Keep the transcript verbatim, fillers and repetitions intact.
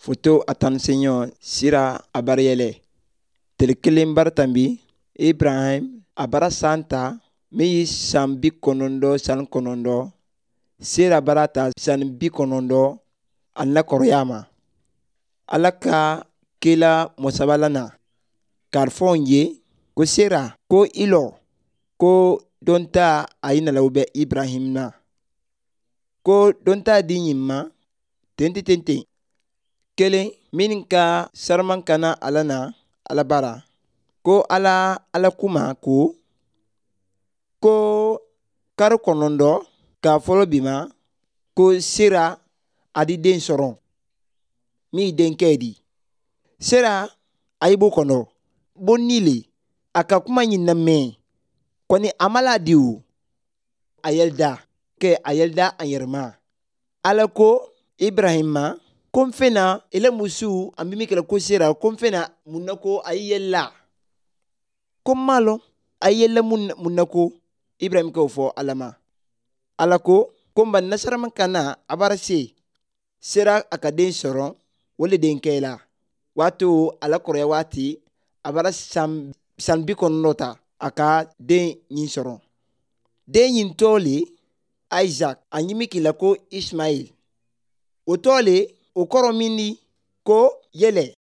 Foto a tan seɲɔ sira a bara yɛlɛ. Tele kelen bara tanbi Ibrahim a bara san ta min ye san bi kɔnɔntɔn san kɔnɔntɔn sera bara ta san bi kɔnɔntɔn a na kɔrɔya ma. Ala ka kela mɔsabala na k'a fɔ n ye ko sera ko i lɔ ko don ta a ye nalaw bɛ Ibrahim na ko don ta di ɲin ma ten ten ten kelen min ka saraman kana ala na ala bara ko ala ala kuma ko ko kari kɔnɔntɔn k'a fɔlɔ bi ma ko sera a di den sɔrɔ min denkɛ di sera a ye b'o kɔnɔ bonni le a ka kuma ɲin lamɛn kɔni a ma la di o a yɛlɛda kɛ a yɛlɛda a yɛrɛ ma ala ko Ibrahim ma ko n fɛna ele musu an bɛ min kɛlɛ ko sera ko n fɛna mun na ko a ye yɛlɛla ko n m'a lɔn a ye yɛlɛla mun na ko Ibrahim k'o fɔ ala ma ala ko ko n ba nasarama kana a bara se sera a ka den sɔrɔ o le denkɛ la waati ala kɔrɔya waati a bara san san bi kɔnɔntɔn ta a ka den ɲin sɔrɔ den ɲin tɔ le Isaac a ɲimi k'i la ko Ismail o tɔ le o kɔrɔ min di ko yɛlɛ.